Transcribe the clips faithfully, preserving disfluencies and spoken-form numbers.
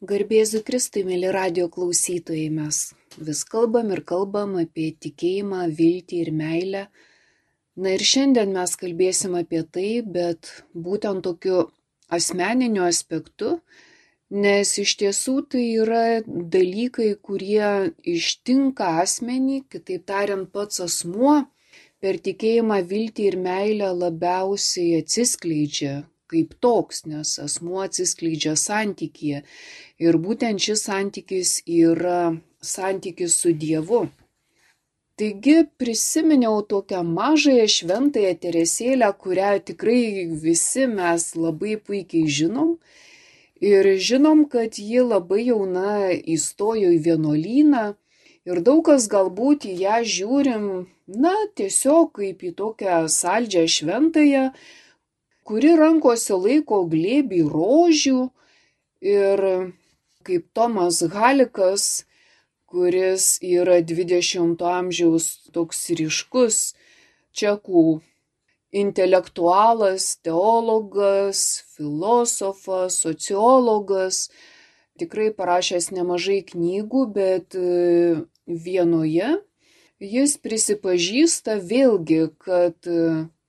Garbėzu Kristui, mėly radijo klausytojai, mes vis kalbam ir kalbam apie tikėjimą, viltį ir meilę. Na ir šiandien mes kalbėsim apie tai, bet būtent tokiu asmeniniu aspektu, nes iš tiesų tai yra dalykai, kurie ištinka asmenį, kitaip tariant, pats asmuo per tikėjimą, viltį ir meilę labiausiai atsiskleidžia kaip toks, nes asmuo atsiskleidžia santykyje. Ir būtent šis santykis yra santykis su Dievu. Taigi prisiminiau tokią mažąją šventąją Teresėlę, kurią tikrai visi mes labai puikiai žinom. Ir žinom, kad ji labai jauna įstojo į vienuolyną. Ir daug kas galbūt į ją žiūrim, na, tiesiog kaip į tokią saldžią šventąją, kuri rankose laiko glėbį rožių. Ir kaip Tomas Halikas, kuris yra dvidešimto amžiaus toks ryškus čekų intelektualas, teologas, filosofas, sociologas, tikrai parašęs nemažai knygų, bet vienoje jis prisipažįsta vėlgi, kad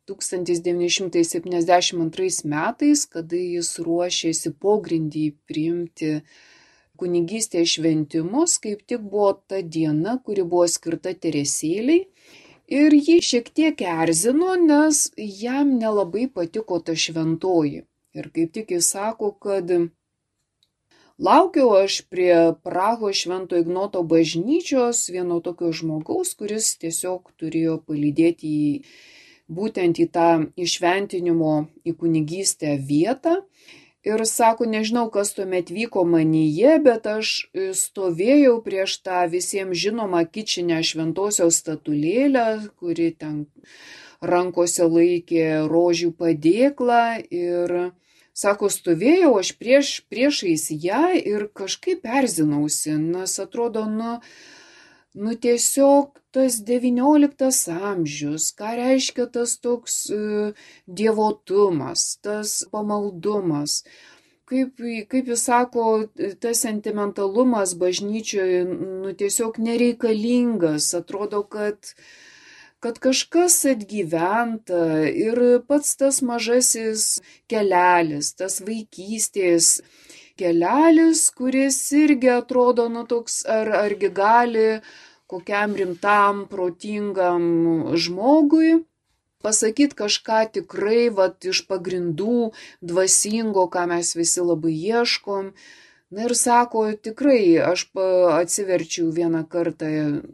tūkstantis devyni šimtai septyniasdešimt antrais metais, kada jis ruošėsi pogrindį priimti kunigystės šventimus, kaip tik buvo ta diena, kuri buvo skirta Teresėlei. Ir jį šiek tiek erzino, nes jam nelabai patiko ta šventoji. Ir kaip tik jis sako, kad laukiau aš prie Prahos Švento Ignoto bažnyčios vieno tokio žmogaus, kuris tiesiog turėjo palydėti į būtent į tą įšventinimo į kunigystę vietą. Ir sako, nežinau, kas tuomet vyko manyje, bet aš stovėjau prieš tą visiems žinomą kičinę šventosios statulėlę, kuri ten rankose laikė rožių padėklą. Ir sako, stovėjau aš prieš, priešais ją ir kažkaip erzinausi, nes atrodo, nu, nu tiesiog tas devynioliktas amžius, ką reiškia tas toks uh, dievotumas, tas pamaldumas. Kaip, kaip jis sako, tas sentimentalumas bažnyčioje nu, tiesiog nereikalingas. Atrodo, kad, kad kažkas atgyventa ir pats tas mažasis kelelis, tas vaikystės kelelis, kuris irgi atrodo, nu toks, ar, argi gali kokiam rimtam, protingam žmogui pasakyti kažką tikrai vat, iš pagrindų dvasingo, ką mes visi labai ieškom. Na ir sako, tikrai, aš atsiverčiau vieną kartą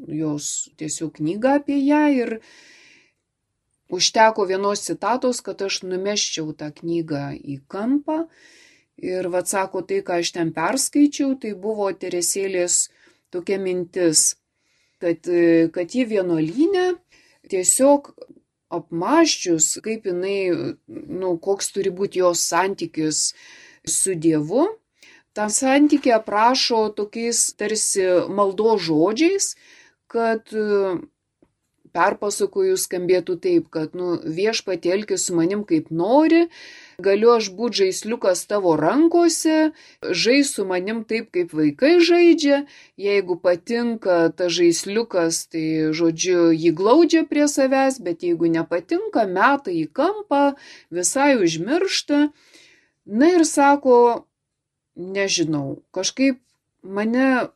jos tiesiog knygą apie ją ir užteko vienos citatos, kad aš numesčiau tą knygą į kampą. Ir vat sako, tai, ką aš ten perskaičiau, tai buvo Teresėlės tokia mintis, kad, kad ji vienuolyne tiesiog apmąsčius, kaip jinai, nu, koks turi būti jos santykis su Dievu, tą santykį aprašo tokiais tarsi maldos žodžiais, kad perpasakojus skambėtų taip, kad nu, viešpatie elkis su manim kaip nori, galiu aš būti žaisliukas tavo rankose, žais su manim taip, kaip vaikai žaidžia, jeigu patinka ta žaisliukas, tai žodžiu jį glaudžia prie savęs, bet jeigu nepatinka, meta į kampą, visai užmiršta. Na ir sako, nežinau, kažkaip mane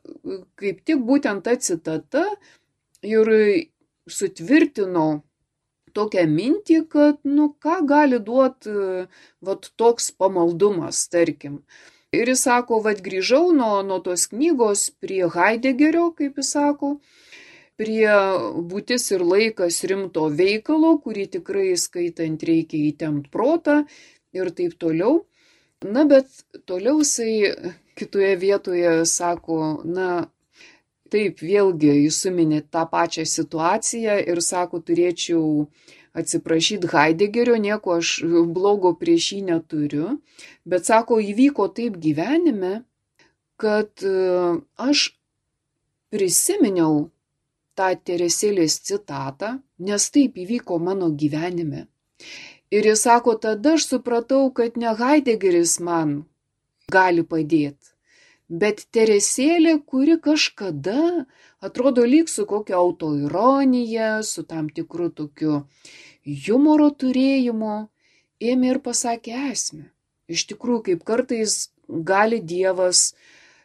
kaip tik būtent ta citata ir sutvirtino tokią mintį, kad, nu, ką gali duoti vat toks pamaldumas, tarkim. Ir jis sako, vat grįžau nuo, nuo tos knygos prie Haidegerio, kaip jis sako, prie būtis ir laikas rimto veikalo, kurį tikrai skaitant reikia įtempt protą ir taip toliau. Na, bet toliau jisai kitoje vietoje sako, na, taip, vėlgi jis suminė tą pačią situaciją ir sako, turėčiau atsiprašyti Haidegerio, nieko aš blogo prieš jį neturiu, bet sako, įvyko taip gyvenime, kad aš prisiminiau tą Teresėlės citatą, nes taip įvyko mano gyvenime. Ir jis sako, tada aš supratau, kad ne Haidegeris man gali padėti, Bet Teresėlė, kuri kažkada atrodo lyg su kokia autoironija, su tam tikru tokiu humoro turėjimu, ėmė ir pasakė esmę. Iš tikrųjų, kaip kartais gali Dievas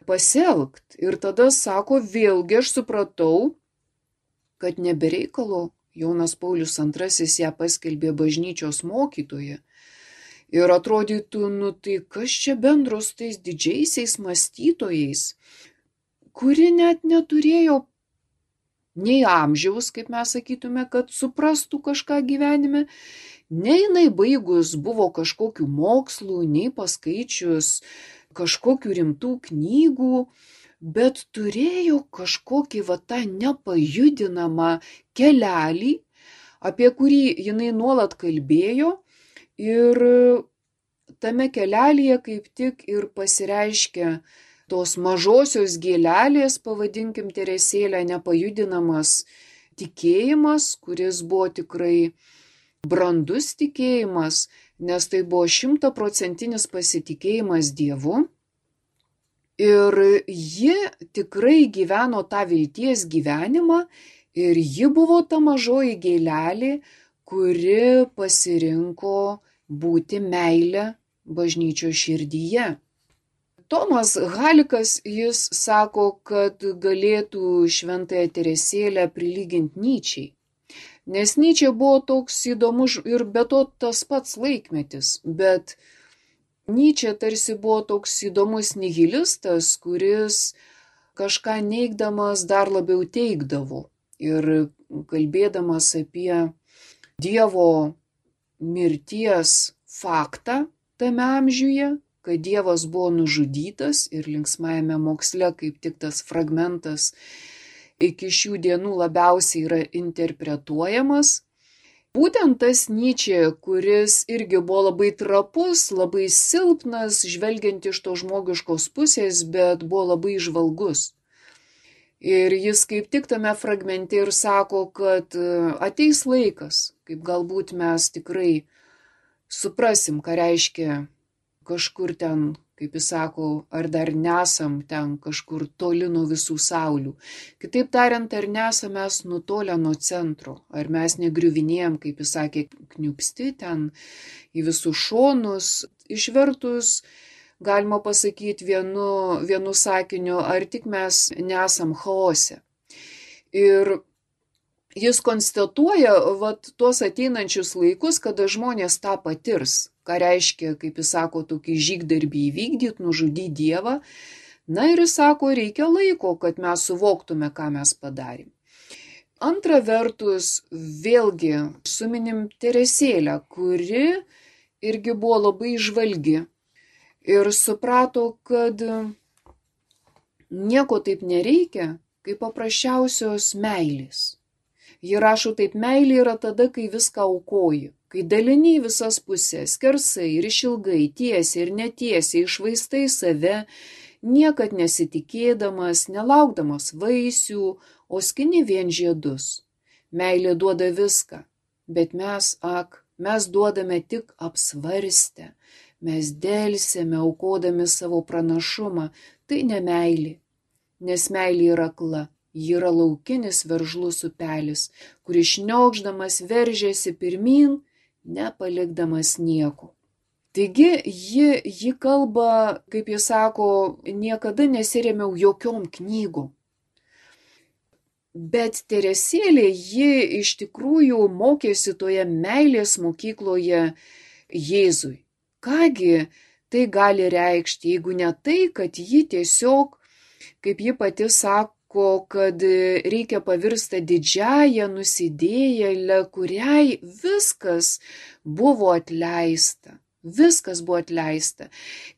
pasielgti. Ir tada sako, vėlgi aš supratau, kad nebereikalo Jonas Paulius antrasis ją paskelbė bažnyčios mokytoja. Ir atrodytų, nu tai kas čia bendro su tais didžiaisiais mąstytojais, kuri net neturėjo nei amžiaus, kaip mes sakytume, kad suprastų kažką gyvenime, nei jinai baigus buvo kažkokių mokslų, nei paskaičius kažkokių rimtų knygų, bet turėjo kažkokį va tą nepajudinamą kelelį, apie kurį jinai nuolat kalbėjo. Ir tame kelelyje kaip tik ir pasireiškia tos mažosios gėlelės, pavadinkim Teresėlę, nepajudinamas tikėjimas, kuris buvo tikrai brandus tikėjimas, nes tai buvo šimtaprocentinis pasitikėjimas Dievu. Ir ji tikrai gyveno tą vilties gyvenimą ir ji buvo ta mažoji gėlelė, kuri pasirinko būti meilę bažnyčios širdyje. Tomas Halikas, jis sako, kad galėtų šventąją Teresėlę prilyginti Nyčei. Nes Nyčė buvo toks įdomus ir be to tas pats laikmetis, bet Nyčė tarsi buvo toks įdomus nihilistas, kuris kažką neigdamas dar labiau teigdavo ir kalbėdamas apie Dievo mirties faktą tame amžiuje, kad Dievas buvo nužudytas ir linksmajame moksle kaip tik tas fragmentas iki šių dienų labiausiai yra interpretuojamas. Būtent tas Nyčė, kuris irgi buvo labai trapus, labai silpnas, žvelgiant iš to žmogiškos pusės, bet buvo labai žvalgus. Ir jis kaip tik tame fragmente ir sako, kad ateis laikas, kaip galbūt mes tikrai suprasim, ką reiškia kažkur ten, kaip jis sako, ar dar nesam ten kažkur toli nuo visų saulių. Kitaip tariant, ar nesam mes nutolę nuo centro, ar mes negriuvinėjom, kaip jis sakė, kniupsti ten į visus šonus, išvertus, galima pasakyti vienu, vienu sakiniu, ar tik mes nesam chaose. Ir jis konstatuoja vat, tuos ateinančius laikus, kada žmonės tą patirs, ką reiškia, kaip jis sako, tokį žygdarbį įvykdyti, nužudyti Dievą. Na ir jis sako, reikia laiko, kad mes suvoktume, ką mes padarėm. Antra vertus, vėlgi suminim Teresėlę, kuri irgi buvo labai žvalgi. Ir suprato, kad nieko taip nereikia, kaip paprasčiausios meilės. Ji rašo taip, meilė yra tada, kai viską aukoji, kai dalini į visas pusės, skersai ir išilgai, tiesiai ir netiesiai, išvaistai save, niekad nesitikėdamas, nelaukdamas vaisių, o skini vien žiedus. Meilė duoda viską, bet mes, ak, mes duodame tik apsvarstę. Mes delsėme, aukodami savo pranašumą, tai ne meilė, nes meilė yra akla, ji yra laukinis veržlus upelis, kuris šniokšdamas veržėsi pirmyn, nepalikdamas nieko. Taigi ji, ji kalba, kaip jis sako, niekada nesirėmiau jokiom knygom. Bet Teresėlė, ji iš tikrųjų mokėsi toje meilės mokykloje Jėzui. Kągi tai gali reikšti, jeigu ne tai, kad ji tiesiog, kaip ji pati sako, kad reikia pavirsta didžiąją nusidėjėlę, kuriai viskas buvo atleista. Viskas buvo atleista.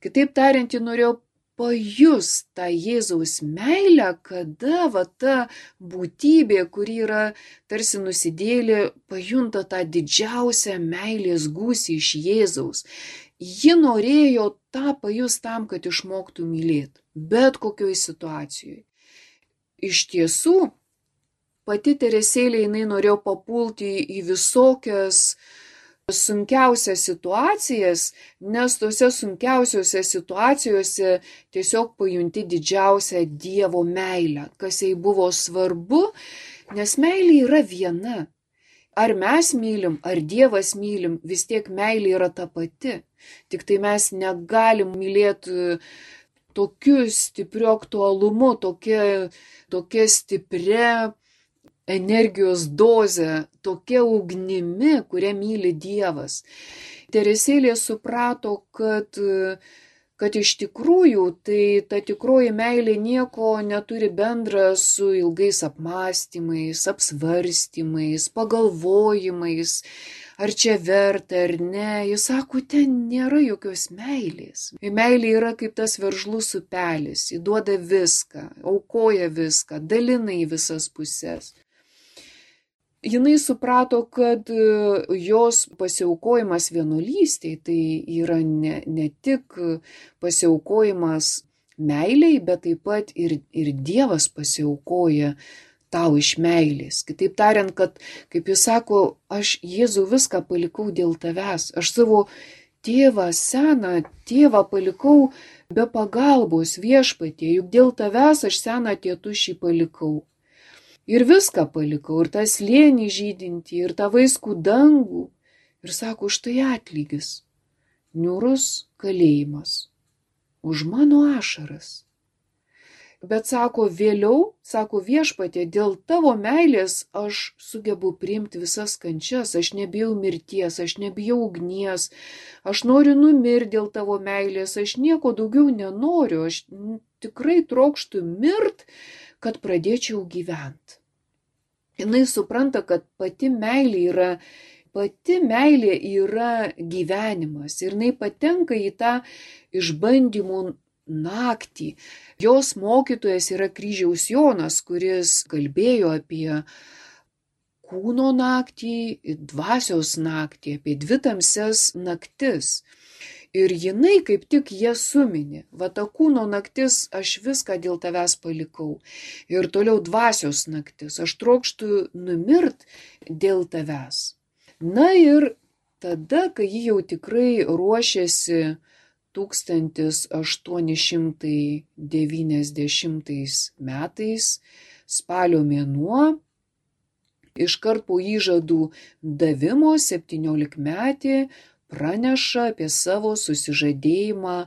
Kitaip tariant, ji norėjo pajust tą Jėzaus meilę, kada va ta būtybė, kuri yra tarsi nusidėjėlė, pajunta tą didžiausią meilės gūsį iš Jėzaus. Ji norėjo tą pajust tam, kad išmoktų mylėti, bet kokioj situacijoje. Iš tiesų, pati Teresėlė jinai norėjo papulti į visokias sunkiausias situacijas, nes tose sunkiausiose situacijose tiesiog pajunti didžiausią Dievo meilę, kas jai buvo svarbu, nes meilė yra viena. Ar mes mylim, ar Dievas mylim, vis tiek meilė yra ta pati. Tik tai mes negalim mylėti tokiu stipriu aktualumu, tokia, tokia stipria energijos doze, tokia ugnimi, kurią myli Dievas. Teresėlė suprato, kad, kad iš tikrųjų tai ta tikroji meilė nieko neturi bendra su ilgais apmąstymais, apsvarstymais, pagalvojimais, ar čia verta ar ne. Jis sako, ten nėra jokios meilės. Meilė yra kaip tas veržlus upelis, įduoda viską, aukoja viską, dalina į visas puses. Jinai suprato, kad jos pasiaukojimas vienuolystėj tai yra ne, ne tik pasiaukojimas meiliai, bet taip pat ir, ir Dievas pasiaukoja tau iš meilės. Kitaip tariant, kad, kaip jis sako, aš Jėzų viską palikau dėl tavęs. Aš savo tėvą, seną tėvą palikau be pagalbos Viešpatie, juk dėl tavęs aš seną tėtušį palikau. Ir viską palikau, ir tą slėnį žydintį, ir tą vaiskų dangų. Ir sako, štai atlygis. Niūrus kalėjimas. Už mano ašaras. Bet sako, vėliau, sako Viešpatie, dėl tavo meilės aš sugebu priimti visas kančias, aš nebijau mirties, aš nebijau ugnies, aš noriu numirti dėl tavo meilės, aš nieko daugiau nenoriu, aš tikrai trokštu mirt, kad pradėčiau gyventi. Jinai supranta, kad pati meilė yra, pati meilė yra gyvenimas ir jinai patenka į tą išbandymų naktį. Jos mokytojas yra kryžiaus Jonas, kuris kalbėjo apie kūno naktį, dvasios naktį, apie dvi tamsias naktis. Ir jinai kaip tik jas suminė. Va ta kūno naktis, aš viską dėl tavęs palikau. Ir toliau dvasios naktis, aš trokštu numirt dėl tavęs. Na ir tada, kai ji jau tikrai ruošėsi tūkstantis aštuoni šimtai devyniasdešimtais metais, spalio mėnuo, iškart po įžadų davimo septyniolikmetė praneša apie savo susižadėjimą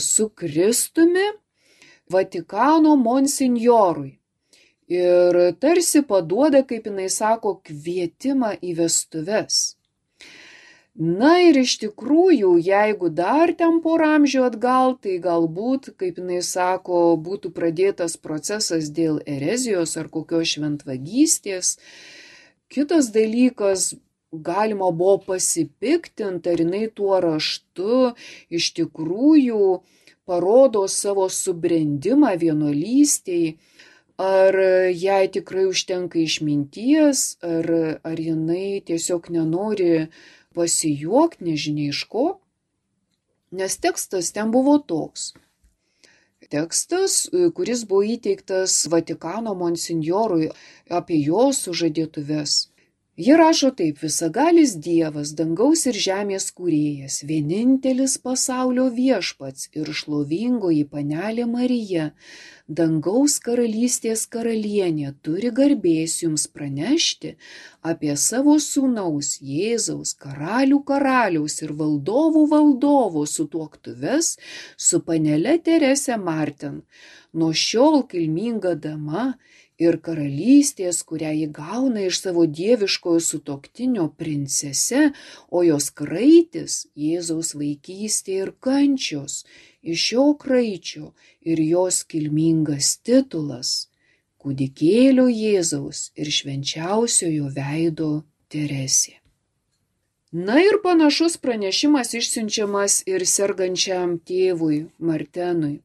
su Kristumi Vatikano monsinjorui. Ir tarsi paduoda, kaip jinai sako, kvietimą į vestuves. Na ir iš tikrųjų, jeigu dar ten porą amžių atgal, tai galbūt, kaip jinai sako, būtų pradėtas procesas dėl erezijos ar kokios šventvagystės. Kitas dalykas, galima buvo pasipiktinti, ar jinai tuo raštu iš tikrųjų parodo savo subrendimą vienuolystėj, ar jai tikrai užtenka išminties, ar, ar jinai tiesiog nenori pasijuokti, nežinia iš ko, nes tekstas ten buvo toks. Tekstas, kuris buvo įteiktas Vatikano monsinjorui apie jo sužadėtuves. Ji rašo taip: visagalis Dievas, dangaus ir žemės kūrėjas, vienintelis pasaulio viešpats ir šlovingoji panelė Marija, dangaus karalystės karalienė, turi garbės jums pranešti apie savo sūnaus Jėzaus karalių karaliaus ir valdovų valdovo sutuoktuves su panele Terese Martin, nuo šiol kilminga dama ir karalystės, kurią ji gauna iš savo dieviškojo sutuoktinio princese, o jos kraitis Jėzaus vaikystė ir kančios, iš šio kraičio ir jos kilmingas titulas, kūdikėlio Jėzaus ir švenčiausiojo veido Teresė. Na ir panašus pranešimas išsiunčiamas ir sergančiam tėvui Martenui.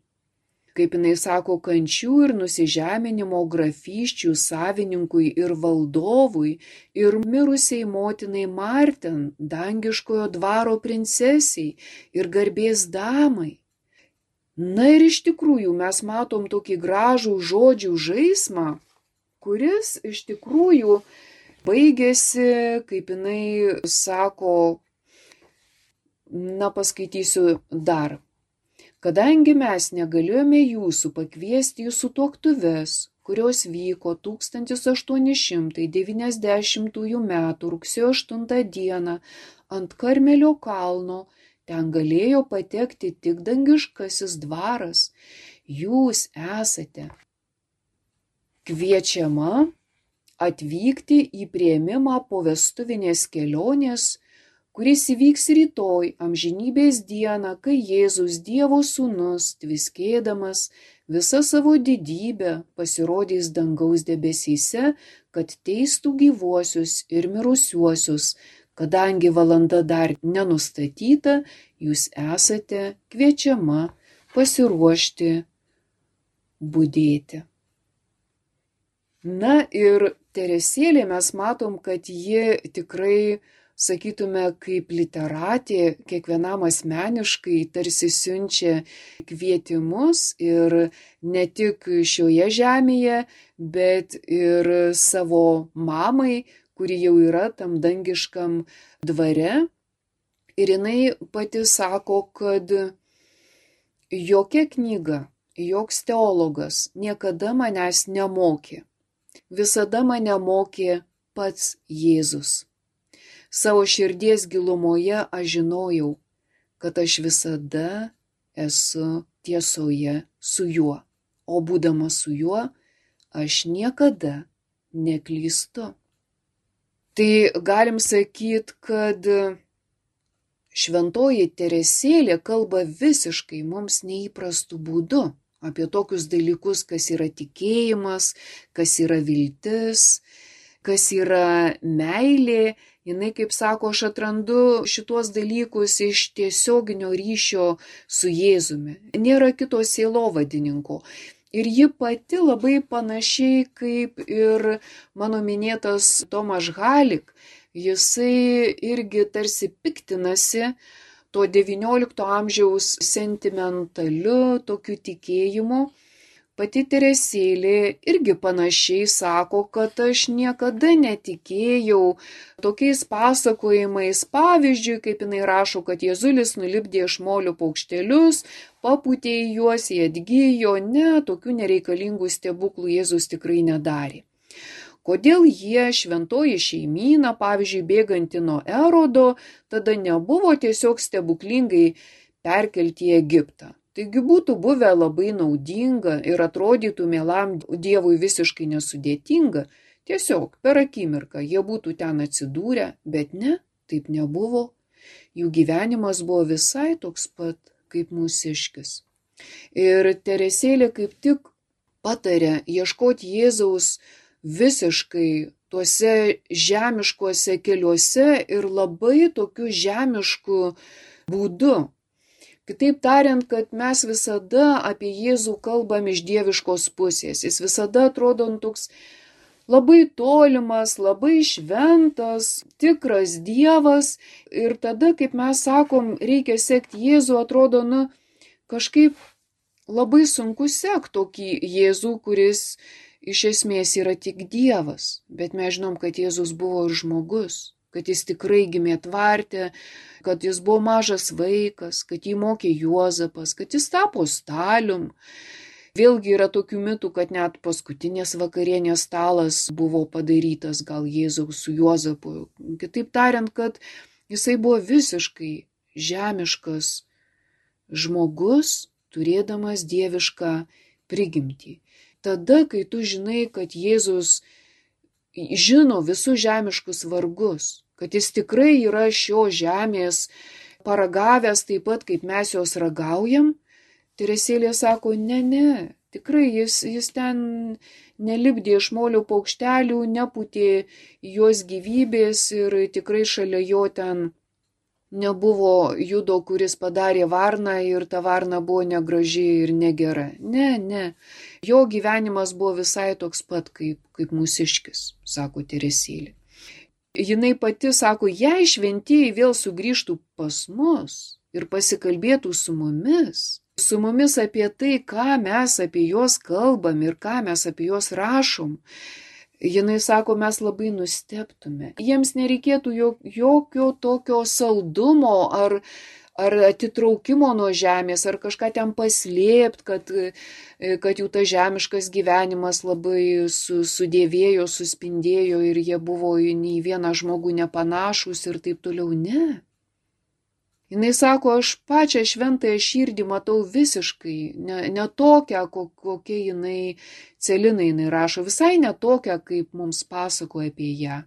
Kaip jinai sako, kančių ir nusižeminimo grafysčių savininkui ir valdovui ir mirusiai motinai Marten, dangiškojo dvaro princesiai ir garbės damai. Na ir iš tikrųjų mes matom tokį gražų žodžių žaismą, kuris iš tikrųjų baigėsi, kaip jinai sako, Na, paskaitysiu dar. Kadangi mes negalėjome jūsų pakviesti į sutuoktuves, kurios vyko tūkstantis aštuoni šimtai devyniasdešimtųjų metų rugsėjo aštuntą dieną ant Karmelio kalno, ten galėjo patekti tik dangiškasis dvaras. Jūs esate kviečiama atvykti į priėmimą po vestuvinės kelionės, kuris įvyks rytoj amžinybės dieną, kai Jėzus Dievo sūnus, tviskėdamas visą savo didybę, pasirodys dangaus debesyse, kad teistų gyvuosius ir mirusiuosius. Kadangi valanda dar nenustatyta, jūs esate kviečiama pasiruošti budėti. Na ir Teresėlė mes matom, kad ji tikrai, sakytume, kaip literatė, kiekvienam asmeniškai tarsi siunčia kvietimus ir ne tik šioje žemėje, bet ir savo mamai, kuri jau yra tam dangiškam dvare. Ir jinai pati sako, kad jokia knyga, joks teologas niekada manęs nemokė. Visada mane mokė pats Jėzus. Savo širdies gilumoje aš žinojau, kad aš visada esu tiesoje su juo, o būdama su juo, aš niekada neklystu. Tai galim sakyti, kad šventoji Teresėlė kalba visiškai mums neįprastų būdų apie tokius dalykus, kas yra tikėjimas, kas yra viltis, kas yra meilė. Jinai, kaip sako, aš atrandu šituos dalykus iš tiesioginio ryšio su Jėzumi. Nėra kito sielovadininko. Ir ji pati labai panašiai kaip ir mano minėtas Tomaš Halik, jisai irgi tarsi piktinasi to devyniolikto amžiaus sentimentaliu tokiu tikėjimu. Pati Teresėlė irgi panašiai sako, kad aš niekada netikėjau tokiais pasakojimais, pavyzdžiui, kaip jinai rašo, kad Jėzulis nulipdė iš molio paukštelius, papūtė į juos, jie atgijo. Ne, tokių nereikalingų stebuklų Jėzus tikrai nedarė. Kodėl jie, šventoji šeimyna, pavyzdžiui, bėganti nuo Erodo, tada nebuvo tiesiog stebuklingai perkelti į Egiptą? Taigi būtų buvę labai naudinga ir atrodytų mielam Dievui visiškai nesudėtinga. Tiesiog per akimirką jie būtų ten atsidūrę, bet ne, taip nebuvo. Jų gyvenimas buvo visai toks pat kaip mūsiškis. Ir Teresėlė kaip tik patarė ieškoti Jėzaus visiškai tuose žemiškuose keliuose ir labai tokiu žemišku būdu. Kitaip tariant, kad mes visada apie Jėzų kalbam iš dieviškos pusės. Jis visada atrodo toks labai tolimas, labai šventas, tikras Dievas. Ir tada, kaip mes sakom, reikia sekti Jėzų, atrodo, nu, kažkaip labai sunku sekti tokį Jėzų, kuris iš esmės yra tik Dievas. Bet mes žinom, kad Jėzus buvo ir žmogus, kad jis tikrai gimė tvarte, kad jis buvo mažas vaikas, kad jį mokė Juozapas, kad jis tapo stalium. Vėlgi yra tokių mitų, kad net paskutinės vakarienės stalas buvo padarytas gal Jėzaus su Juozapu. Kitaip tariant, kad jisai buvo visiškai žemiškas žmogus, turėdamas dievišką prigimtį. Tada, kai tu žinai, kad Jėzus žino visus žemiškus vargus, kad jis tikrai yra šio žemės paragavęs taip pat, kaip mes jos ragaujam, Teresėlė sako, ne, ne, tikrai jis, jis ten nelipdė iš molio paukštelių, nepūtė jos gyvybės ir tikrai šalia jo ten nebuvo Judo, kuris padarė varną ir ta varna buvo negraži ir negera. Ne, ne, jo gyvenimas buvo visai toks pat kaip, kaip mūsiškis, sako Teresėlė. Jinai pati sako, jei šventieji vėl sugrįžtų pas mus ir pasikalbėtų su mumis, su mumis apie tai, ką mes apie juos kalbam ir ką mes apie juos rašom, Jinai sako, mes labai nustebtume. Jiems nereikėtų jokio tokio saldumo ar, ar atitraukimo nuo žemės, ar kažką ten paslėpti, kad, kad jų tas žemiškas gyvenimas labai su, sudėvėjo, suspindėjo ir jie buvo nei vieną žmogų nepanašus ir taip toliau. Ne. Jinai sako, aš pačią šventąją širdį matau visiškai ne, ne tokią, kokia jinai, Celina jinai rašo, visai ne tokią, kaip mums pasakoja apie ją.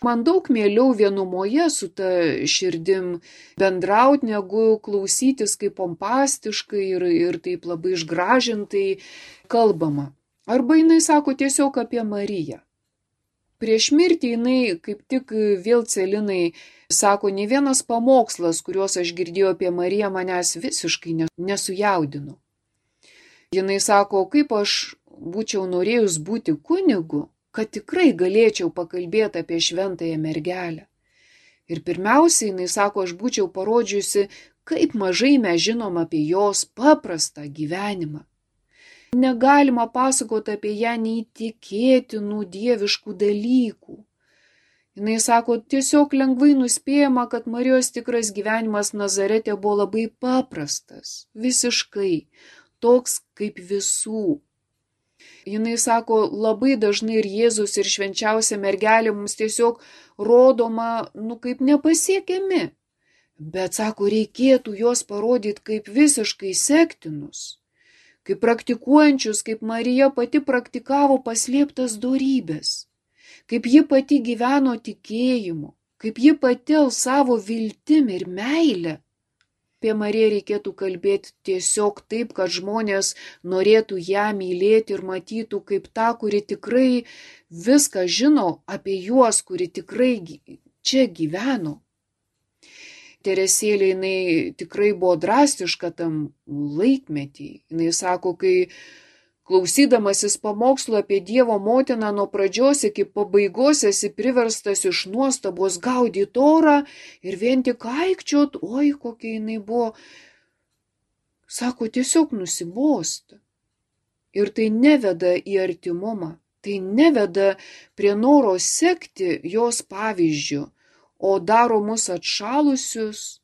Man daug mieliau vienumoje su ta širdim bendrauti, negu klausytis kaip pompastiškai ir, ir taip labai išgražintai kalbama. Arba jinai sako tiesiog apie Mariją. Prieš mirtį jinai kaip tik vėl Celinai sako, ne vienas pamokslas, kuriuos aš girdėjau apie Mariją, manęs visiškai nesujaudino. Jinai sako, kaip aš būčiau norėjus būti kunigu, kad tikrai galėčiau pakalbėti apie šventąją mergelę. Ir pirmiausia, jinai sako, aš būčiau parodžiusi, kaip mažai mes žinom apie jos paprastą gyvenimą. Negalima pasakoti apie ją neįtikėtinų dieviškų dalykų. Jinai sako, tiesiog lengvai nuspėjama, kad Marijos tikras gyvenimas Nazarete buvo labai paprastas, visiškai, toks kaip visų. Jinai sako, labai dažnai ir Jėzus, ir švenčiausia mergelė mums tiesiog rodoma, nu, kaip nepasiekiami. Bet, sako, reikėtų juos parodyti kaip visiškai sektinus, kaip praktikuojančius, kaip Marija pati praktikavo paslėptas dorybės, kaip ji pati gyveno tikėjimu, kaip ji pati alsavo viltim ir meilę. Apie Mariją reikėtų kalbėti tiesiog taip, kad žmonės norėtų ją mylėti ir matytų kaip tą, kuri tikrai viską žino apie juos, kuri tikrai čia gyveno. Teresėlė, jinai tikrai buvo drastiška tam laikmetį. Jinai sako, kai klausydamasis pamokslo apie Dievo motiną nuo pradžios iki pabaigos esi priverstas iš nuostabos gaudyti orą ir vien tik aikčiot, oi, kokia jinai buvo. Sako, tiesiog nusibosta. Ir tai neveda į artimumą, tai neveda prie noro sekti jos pavyzdžiu, o daro mus atšalusius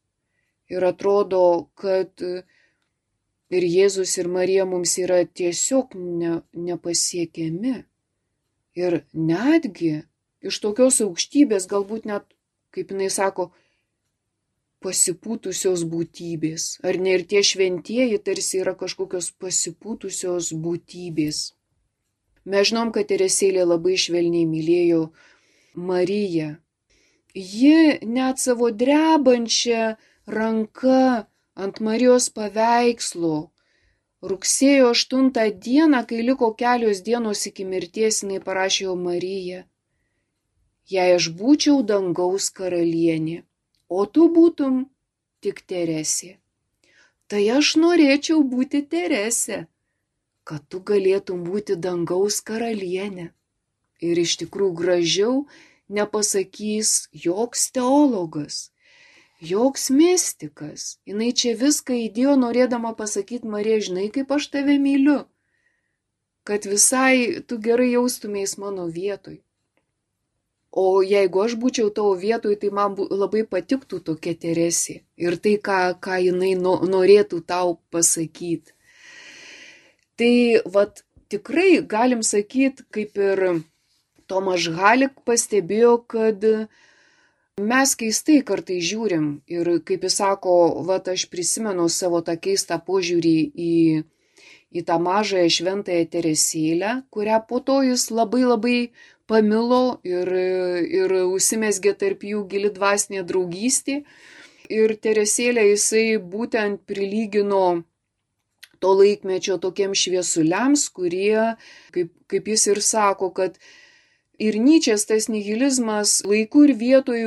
ir atrodo, kad ir Jėzus, ir Marija mums yra tiesiog ne, nepasiekiami. Ir netgi iš tokios aukštybės, galbūt net, kaip jinai sako, pasipūtusios būtybės. Ar ne, ir tie šventieji tarsi yra kažkokios pasipūtusios būtybės. Mes žinom, kad Teresėlė labai švelniai mylėjo Mariją. Ji net savo drebančią ranką ant Marijos paveikslo rugsėjo aštuntą dieną, kai liko kelios dienos iki mirties, jinai parašė jo Mariją. Jei aš būčiau dangaus karalienė, o tu būtum tik Teresė, tai aš norėčiau būti Teresė, kad tu galėtum būti dangaus karalienė. Ir iš tikrųjų gražiau nepasakys joks teologas, joks mistikas. Jinai čia viską įdėjo norėdama pasakyti, Marija, žinai, kaip aš tave myliu, kad visai tu gerai jaustumės mano vietoj. O jeigu aš būčiau tavo vietoj, tai man labai patiktų tokia Teresė ir tai, ką, ką jinai no, norėtų tau pasakyti. Tai vat tikrai galim sakyti, kaip ir Tomaš Halik pastebėjo, kad mes keistai kartai žiūrim ir, kaip jis sako, vat aš prisimenu savo tą keistą požiūrį į, į tą mažąją šventąją Teresėlę, kurią po to jis labai labai pamilo ir, ir užsimezgė tarp jų gili dvasinė draugystė. Ir Teresėlę jisai būtent prilygino to laikmečio tokiems šviesuliams, kurie, kaip, kaip jis ir sako, kad ir Nyčės tas nihilizmas laiku ir vietoj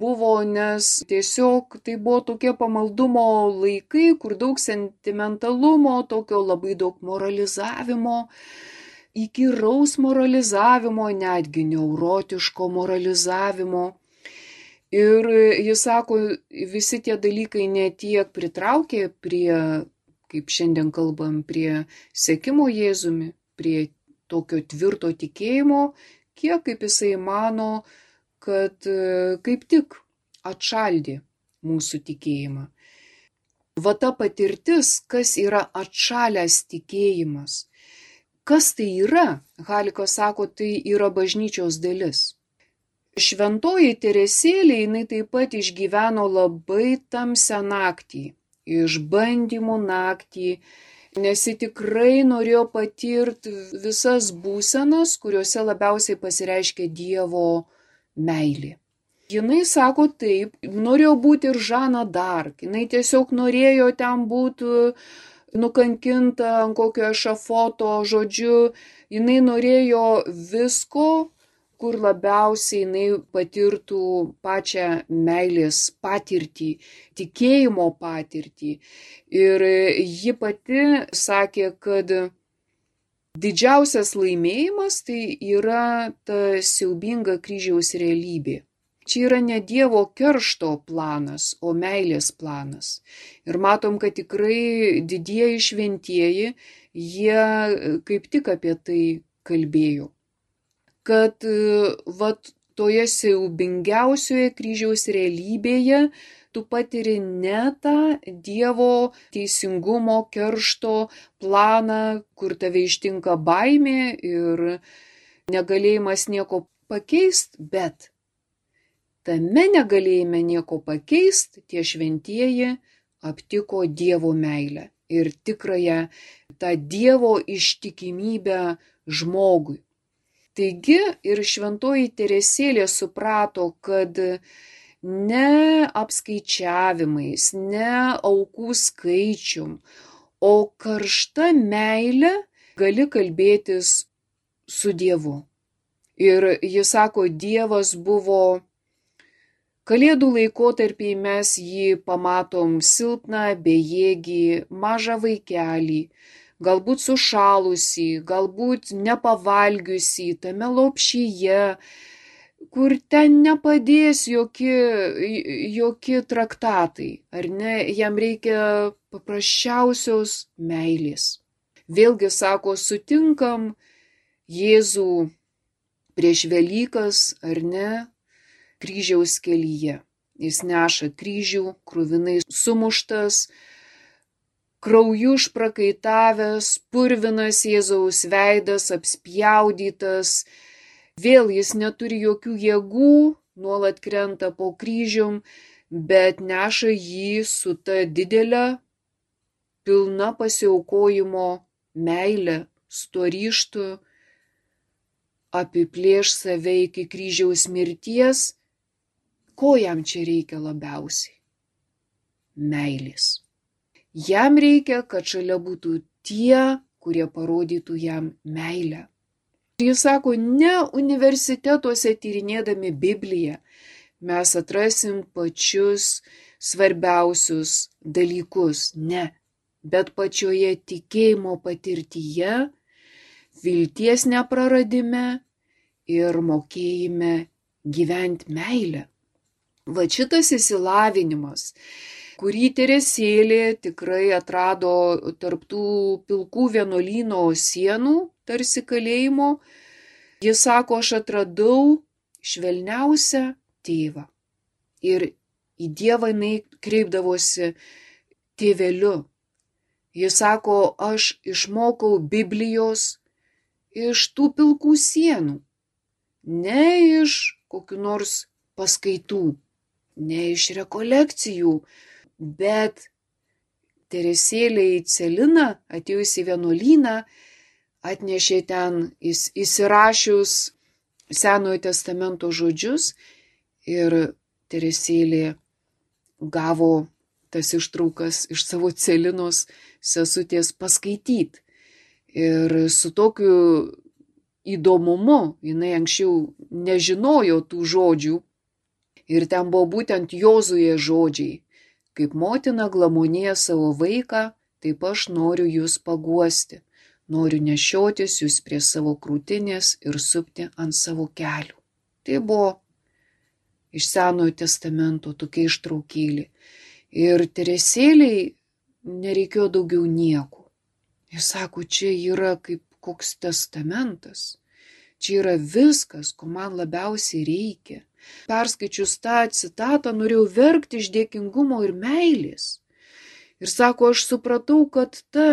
buvo, nes tiesiog tai buvo tokie pamaldumo laikai, kur daug sentimentalumo, tokio labai daug moralizavimo, įkyraus moralizavimo, netgi neurotiško moralizavimo. Ir jis sako, visi tie dalykai ne tiek pritraukė prie, kaip šiandien kalbam, prie sekimo Jėzumi, prie tokio tvirto tikėjimo, tokie, kaip jisai mano, kad kaip tik atšaldė mūsų tikėjimą. Va ta patirtis, kas yra atšalęs tikėjimas. Kas tai yra? Halikas sako, tai yra bažnyčios dalis. Šventoji Teresėlė, jinai taip pat išgyveno labai tamsią naktį, išbandymų naktį, nes ji tikrai norėjo patirti visas būsenas, kuriuose labiausiai pasireiškia Dievo meilė. Jinai sako taip, norėjo būti ir Žana d'Arc, jinai tiesiog norėjo ten būti nukankinta ant kokio ešafoto, žodžiu, jinai norėjo visko, kur labiausiai jinai patirtų pačią meilės patirtį, tikėjimo patirtį. Ir ji pati sakė, kad didžiausias laimėjimas tai yra ta siaubinga kryžiaus realybė. Čia yra ne Dievo keršto planas, o meilės planas. Ir matom, kad tikrai didieji šventieji, jie kaip tik apie tai kalbėjo. Kad vat, toje siaubingiausioje kryžiaus realybėje tu patiri ne tą Dievo teisingumo keršto planą, kur tave ištinka baimė ir negalėjimas nieko pakeisti, bet tame negalėjime nieko pakeisti, tie šventieji aptiko Dievo meilę ir tikrąją tą Dievo ištikimybę žmogui. Taigi ir šventoji Teresėlė suprato, kad ne apskaičiavimais, ne aukų skaičium, o karšta meilė gali kalbėtis su Dievu. Ir jis sako, Dievas buvo Kalėdų laikotarpį mes jį pamatom silpną, bejėgį, mažą vaikelį, galbūt sušalusį, galbūt nepavalgiusį, tame lopšyje, kur ten nepadės jokie, jokie traktatai, ar ne, jam reikia paprasčiausios meilės. Vėlgi sako, sutinkam Jėzų prieš Velykas, ar ne, kryžiaus kelyje. Jis neša kryžių, kruvinai sumuštas, krauju išprakaitavęs, purvinas Jėzaus veidas, apspjaudytas. Vėl jis neturi jokių jėgų, nuolat krenta po kryžium, bet neša jį su ta didelė, pilna pasiaukojimo meilė, su tuo ryžtu apiplėš save iki kryžiaus mirties. Ko jam čia reikia labiausiai? Meilės. Jam reikia, kad šalia būtų tie, kurie parodytų jam meilę. Jis sako, ne universitetuose tyrinėdami Bibliją mes atrasim pačius svarbiausius dalykus, ne, bet pačioje tikėjimo patirtyje, vilties nepraradime ir mokėjime gyventi meilę. Va šitas išsilavinimas, kurį Teresėlė tikrai atrado tarptų pilkų vienuolyno sienų, tarsi kalėjimo, jis sako, aš atradau švelniausią tėvą. Ir į Dievą jinai kreipdavosi tėveliu. Jis sako, aš išmokau Biblijos iš tų pilkų sienų, ne iš kokių nors paskaitų, ne iš rekolekcijų, bet Teresėlė į Celiną, atėjus į vienuolyną, atnešė ten įsirašius Senojo testamento žodžius ir Teresėlė gavo tas ištraukas iš savo Celinos sesutės paskaityti. Ir su tokiu įdomumu, jinai anksčiau nežinojo tų žodžių, ir ten buvo būtent Jozuje žodžiai, kaip motina glamonėja savo vaiką, taip aš noriu jūs paguosti, noriu nešiotis jūs prie savo krūtinės ir supti ant savo kelių. Tai buvo iš Senojo testamento tokia ištraukėlė. Ir Teresėlei nereikėjo daugiau nieko. Jis sako, čia yra kaip koks testamentas. Čia yra viskas, ko man labiausiai reikia. Perskaičius tą citatą, norėjau verkti iš dėkingumo ir meilės. Ir sako, aš supratau, kad ta,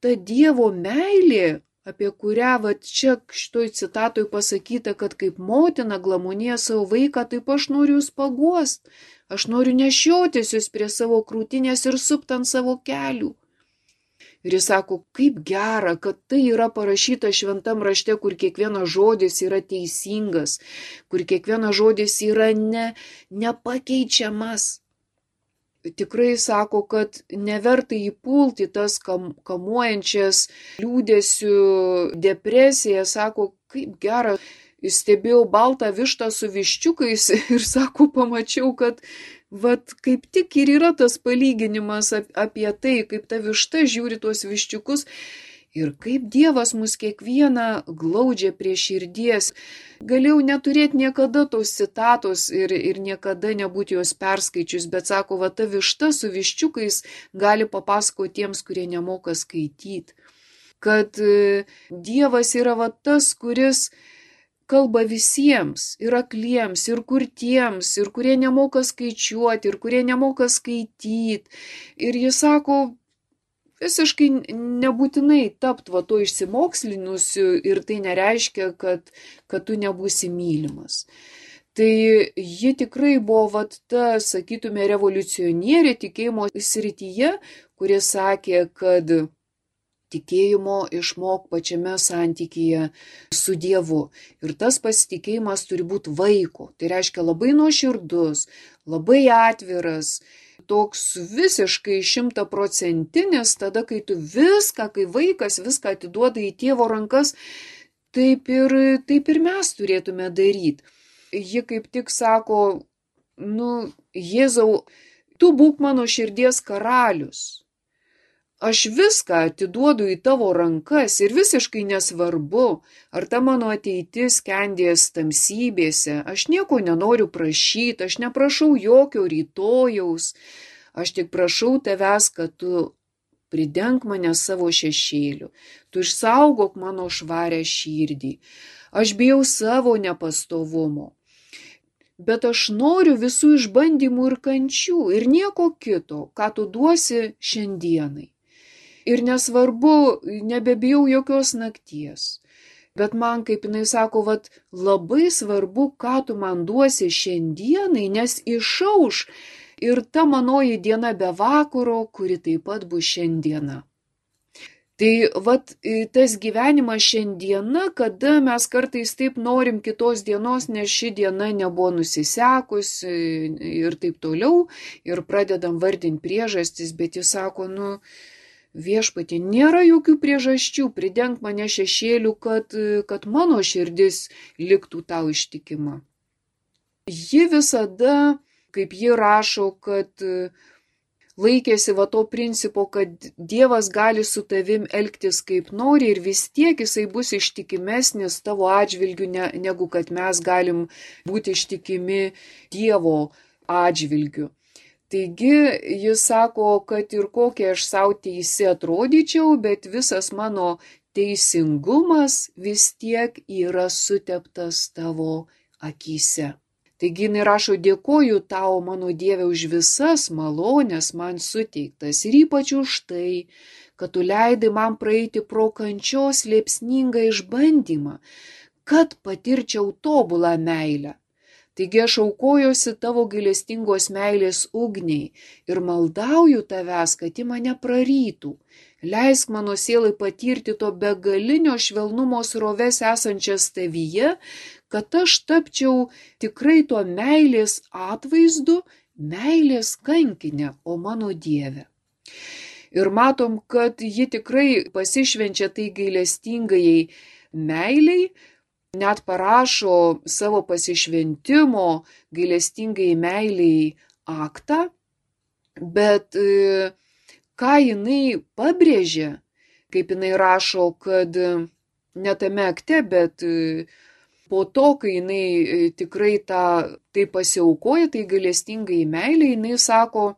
ta Dievo meilė, apie kurią va, čia šitoj citatoj pasakyta, kad kaip motina glamonėja savo vaiką, taip aš noriu jūs paguost. Aš noriu nešiotis jūs prie savo krūtinės ir supt ant savo kelių. Ir jis sako, kaip gera, kad tai yra parašyta šventam rašte, kur kiekvienas žodis yra teisingas, kur kiekvienas žodis yra ne, nepakeičiamas. Tikrai sako, kad neverta įpulti tas kam, kamuojančias liūdesių depresiją. Sako, kaip gera, stebėjau baltą vištą su viščiukais ir sako, pamačiau, kad vat kaip tik ir yra tas palyginimas apie tai, kaip ta višta žiūri tuos viščiukus ir kaip Dievas mus kiekvieną glaudžia prie širdies. Galėjau neturėti niekada tos citatos ir, ir niekada nebūti jos perskaičius, bet sako, va ta višta su viščiukais gali papasakoti tiems, kurie nemoka skaityti. Kad Dievas yra va tas, kuris kalba visiems, ir akliems, ir kurtiems, ir kurie nemoka skaičiuoti, ir kurie nemoka skaityti. Ir jis sako, visiškai nebūtinai tapt va to išsimokslinusiu ir tai nereiškia, kad, kad tu nebūsi mylimas. Tai ji tikrai buvo va ta, sakytume, revoliucionierė tikėjimo srityje, kuri sakė, kad tikėjimo išmok pačiame santykyje su Dievu. Ir tas pasitikėjimas turi būti vaiko. Tai reiškia labai nuoširdus, labai atviras, toks visiškai šimtaprocentinis, tada kai tu viską, kai vaikas viską atiduoda į tėvo rankas, taip ir, taip ir mes turėtume daryti. Ji kaip tik sako, nu, Jėzau, tu būk mano širdies karalius. Aš viską atiduodu į tavo rankas ir visiškai nesvarbu, ar ta mano ateitis skendės tamsybėse. Aš nieko nenoriu prašyti, aš neprašau jokio rytojaus. Aš tik prašau tavęs, kad tu pridenk mane savo šešėliu. Tu išsaugok mano švarę širdį. Aš bijau savo nepastovumo. Bet aš noriu visų išbandymų ir kančių ir nieko kito, ką tu duosi šiandienai. Ir nesvarbu, nebebijau jokios nakties. Bet man, kaip jinai sako, vat, labai svarbu, ką tu man duosi šiandienai, nes išauš ir ta manoji diena be vakaro, kuri taip pat bus šiandiena. Tai vat, tas gyvenimas šiandiena, kada mes kartais taip norim kitos dienos, nes ši diena nebuvo nusisekusi ir taip toliau, ir pradedam vardinti priežastis, bet jis sako, nu, viešpatie, nėra jokių priežasčių, pridenk mane šešėlių, kad, kad mano širdis liktų tau ištikima. Ji visada, kaip ji rašo, kad laikėsi va to principo, kad Dievas gali su tavim elgtis kaip nori ir vis tiek jisai bus ištikimesnis tavo atžvilgiu, ne, negu kad mes galim būti ištikimi Dievo atžvilgiu. Taigi jis sako, kad ir kokie aš savo teisi atrodyčiau, bet visas mano teisingumas vis tiek yra suteptas tavo akyse. Taigi jinai rašo, dėkoju tau, mano Dieve, už visas malonės man suteiktas ir ypač už tai, kad tu leidai man praeiti pro kančios liepsningą išbandymą, kad patirčiau tobulą meilę. Taigi aš aukojosi tavo gailestingos meilės ugniai ir maldauju tavęs, kad ji mane prarytų. Leisk mano sielai patirti to begalinio švelnumo sroves esančias tavyje, kad aš tapčiau tikrai to meilės atvaizdu, meilės kankinė, o mano Dieve. Ir matom, kad ji tikrai pasišvenčia tai gailestingajai meiliai, net parašo savo pasišventimo gailestingai meiliai aktą, bet e, ką jinai pabrėžia, kaip jinai rašo, kad ne tame akte, bet e, po to, kai jinai e, tikrai tą, tai pasiaukoja, tai gailestingai meiliai, jinai sako,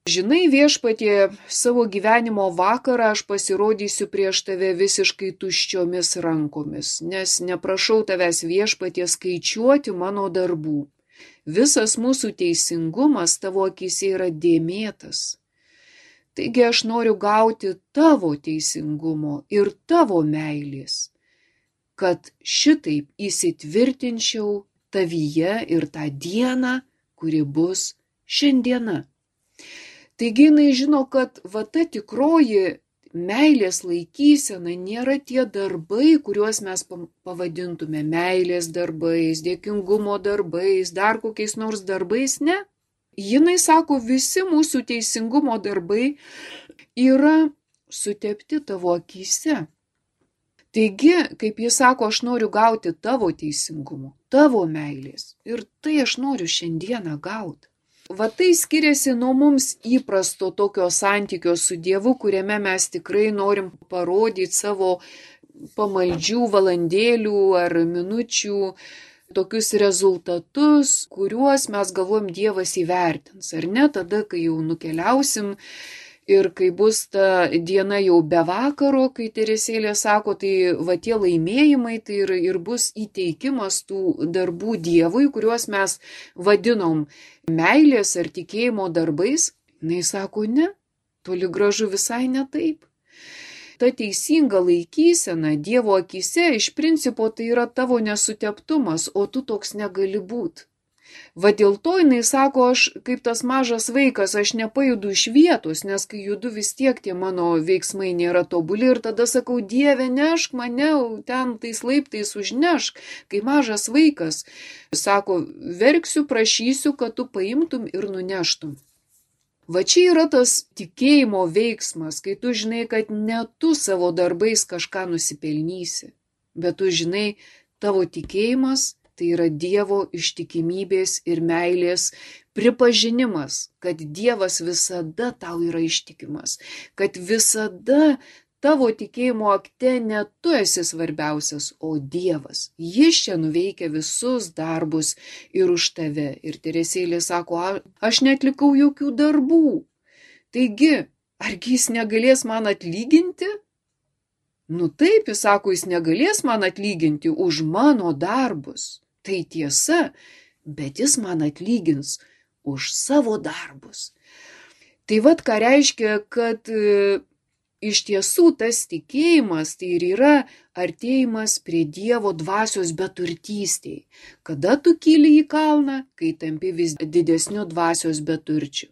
Žinai, viešpatie, savo gyvenimo vakarą aš pasirodysiu prieš tave visiškai tuščiomis rankomis, nes neprašau tavęs viešpatie skaičiuoti mano darbų. Visas mūsų teisingumas tavo akise yra dėmėtas. Taigi aš noriu gauti tavo teisingumo ir tavo meilės, kad šitaip įsitvirtinčiau tavyje ir tą dieną, kuri bus šiandiena. Taigi jinai žino, kad va ta tikroji meilės laikysena nėra tie darbai, kuriuos mes pavadintume meilės darbais, dėkingumo darbais, dar kokiais nors darbais, ne. Jinai sako, visi mūsų teisingumo darbai yra sutepti tavo akyse. Taigi, kaip jis sako, aš noriu gauti tavo teisingumo, tavo meilės ir tai aš noriu šiandieną gauti. Va tai skiriasi nuo mums įprasto tokio santykio su Dievu, kuriame mes tikrai norim parodyti savo pamaldžių valandėlių ar minučių tokius rezultatus, kuriuos mes galvojam Dievas įvertins, ar ne, tada, kai jau nukeliausim ir kai bus ta diena jau be vakaro, kai Teresėlė sako, tai va tie laimėjimai, tai ir, ir bus įteikimas tų darbų Dievui, kuriuos mes vadinom meilės ar tikėjimo darbais. Jis sako, ne, toli gražu visai ne taip. Ta teisinga laikysena Dievo akyse iš principo tai yra tavo nesuteptumas, o tu toks negali būti. Va dėl to jinai sako, aš kaip tas mažas vaikas, aš nepajudu iš vietos, nes kai judu vis tiek tie mano veiksmai nėra tobuli ir tada sakau, Dieve, nešk mane, ten tais laiptais užnešk, kai mažas vaikas. Sako, verksiu, prašysiu, kad tu paimtum ir nuneštum. Va čia yra tas tikėjimo veiksmas, kai tu žinai, kad ne tu savo darbais kažką nusipelnysi, bet tu žinai, tavo tikėjimas tai yra Dievo ištikimybės ir meilės pripažinimas, kad Dievas visada tau yra ištikimas, kad visada tavo tikėjimo akte ne tu esi svarbiausias, o Dievas. Jis čia nuveikia visus darbus ir už tave. Ir Teresėlė sako, aš netlikau jokių darbų. Taigi, argi jis negalės man atlyginti? Nu taip, jis sako, jis negalės man atlyginti už mano darbus. Tai tiesa, bet jis man atlygins už savo darbus. Tai vat ką reiškia, kad e, iš tiesų tas tikėjimas tai ir yra artėjimas prie Dievo dvasios beturtystėj. Kada tu kyli į kalną, kai tampi vis didesniu dvasios beturčiu.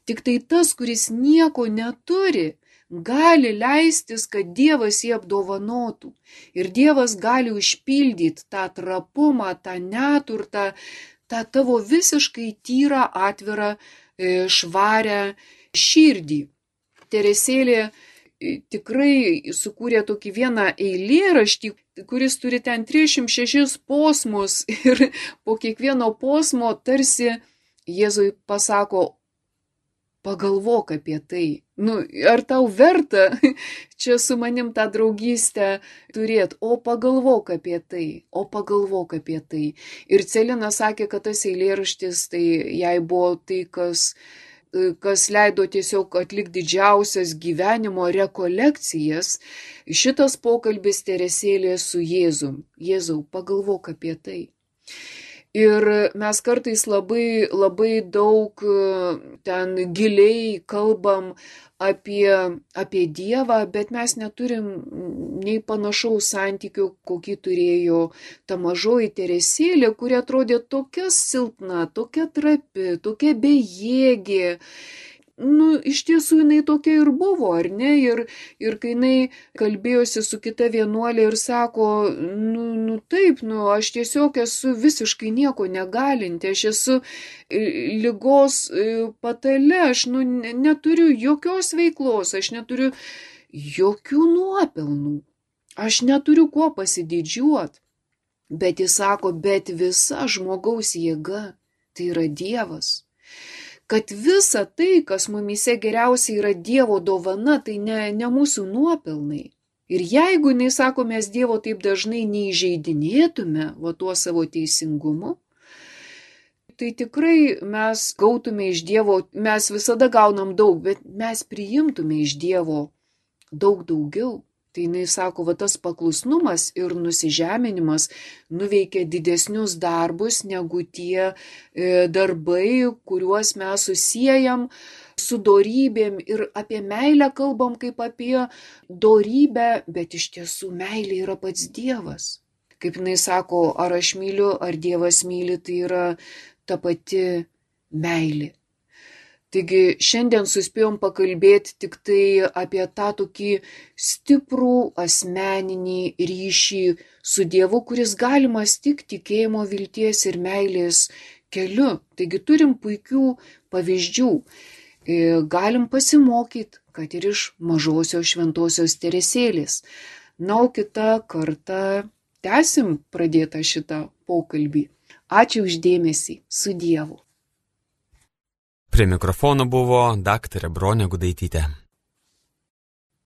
Tik tai tas, kuris nieko neturi, gali leistis, kad Dievas jį apdovanotų. Ir Dievas gali užpildyti tą trapumą, tą neturtą, tą tavo visiškai tyrą, atvirą, švarę širdį. Teresėlė tikrai sukūrė tokį vieną eilėraštį, kuris turi ten trisdešimt šešis posmus ir po kiekvieno posmo tarsi Jėzui pasako, pagalvok apie tai. Nu, ar tau verta čia su manim tą draugystę turėti, o pagalvok apie tai, o pagalvok apie tai. Ir Celina sakė, kad tas eilėraštis, tai jai buvo tai, kas, kas leido tiesiog atlikti didžiausias gyvenimo rekolekcijas. Šitas pokalbis Teresėlė su Jėzum. Jėzau, pagalvok apie tai. Ir mes kartais labai, labai daug ten giliai kalbam apie, apie Dievą, bet mes neturim nei panašaus santykio, kokį turėjo ta mažoji Teresėlė, kuri atrodė tokia silpna, tokia trapi, tokia bejėgė. Nu, iš tiesų jinai tokia ir buvo, ar ne? Ir, ir kai jinai kalbėjosi su kita vienuolė ir sako, nu, nu taip, nu, aš tiesiog esu visiškai nieko negalinti, aš esu ligos patale, aš nu, neturiu jokios veiklos, aš neturiu jokių nuopelnų, aš neturiu kuo pasididžiuoti. Bet jis sako, bet visa žmogaus jėga, tai yra Dievas. Kad visa tai, kas mumyse geriausiai yra Dievo dovana, tai ne, ne mūsų nuopelnai. Ir jeigu, jinai sako, mes Dievo taip dažnai neįžeidinėtume va tuo savo teisingumu, tai tikrai mes gautume iš Dievo, mes visada gaunam daug, bet mes priimtume iš Dievo daug daugiau. Tai jinai sako, va tas paklusnumas ir nusižeminimas nuveikia didesnius darbus negu tie e, darbai, kuriuos mes susijam su dorybėm ir apie meilę kalbam kaip apie dorybę, bet iš tiesų meilė yra pats Dievas. Kaip jinai sako, ar aš myliu, ar Dievas myli, tai yra ta pati meilė. Taigi šiandien suspėjom pakalbėti tik tai apie tą tokį stiprų asmeninį ryšį su Dievu, kuris galimas tik tikėjimo, vilties ir meilės keliu. Taigi turim puikių pavyzdžių. Galim pasimokyti, kad ir iš mažosios šventosios Teresėlės. Na, o kitą kartą tęsim pradėtą šitą pokalbį. Ačiū uždėmesį. Su Dievu. Prie mikrofono buvo daktarė Bronė Gudaitytė.